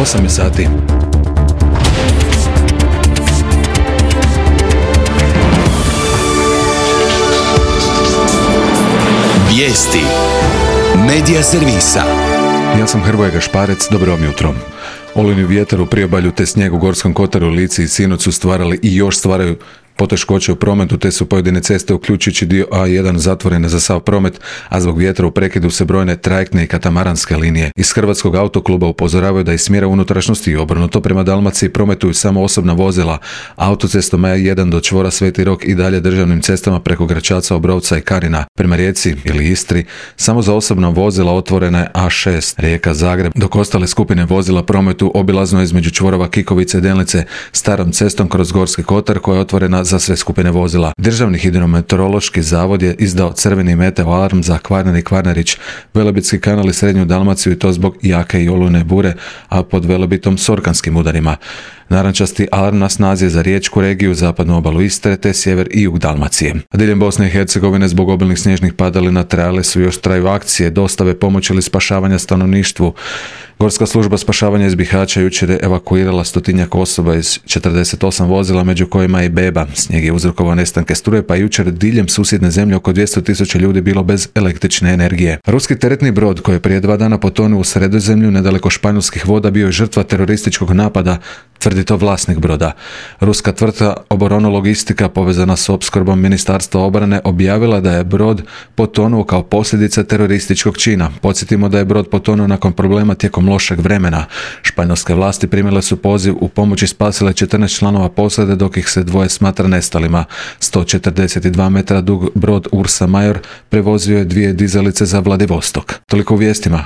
8 je sati. Vijesti Medija servisa. Ja sam Hrvoje Gašparec, dobro vam jutro. Olujni vjetar u priobalju te snijeg u Gorskom kotaru, Lici i sinoć su stvarali i još stvaraju poteškoće u prometu, te su pojedine ceste, uključujući dio A1, zatvorene za sav promet, a zbog vjetra u prekidu se brojne trajektne i katamaranske linije. Iz Hrvatskog autokluba upozoravaju da iz smjera unutrašnjosti i obrnuto prema Dalmaciji prometuju samo osobna vozila, autocestom A1 do čvora Sveti Rok i dalje državnim cestama preko Gračaca, Obrovca i Karina. Prema Rijeci ili Istri, samo za osobna vozila otvorena je A6, Rijeka-Zagreb, dok ostale skupine vozila prometuju obilazno između čvorova Kikovice i Delnice, starom cestom kroz Gorski kotar koja je otvorena za sve skupine vozila. Državni hidrometeorološki zavod je izdao crveni meteo alarm za Kvarner i Kvarnerić, Velebitski kanal i Srednju Dalmaciju, i to zbog jake i olujne bure, a pod Velebitom s orkanskim udarima. Narančasti alarm na snazi je za riječku regiju, zapadnu obalu Istre te sjever i jug Dalmacije. A diljem Bosne i Hercegovine zbog obilnih snježnih padalina traju akcije dostave pomoći ili spašavanja stanovništvu. Gorska služba spašavanja iz Bihaća jučer je evakuirala 100-tinjak osoba iz 48 vozila, među kojima i beba. Snijeg je uzrokovao nestanke struje, pa jučer diljem susjedne zemlje oko 200.000 ljudi bilo bez električne energije. Ruski teretni brod koji je prije 2 dana potonuo u Sredozemlju nedaleko španjolskih voda bio je žrtva terorističkog napada, tvrdi to vlasnik broda. Ruska tvrtka Oboronologistika povezana s opskrbom Ministarstva obrane objavila da je brod potonuo kao posljedica terorističkog čina. Podsjetimo da je brod potonuo nakon problema tijekom lošeg vremena. Španjolske vlasti primile su poziv u pomoć i spasile 14 članova posade, dok ih se 2 smatra nestalima. 142 metra dug brod Ursa Major prevozio je 2 dizalice za Vladivostok. Toliko u vijestima.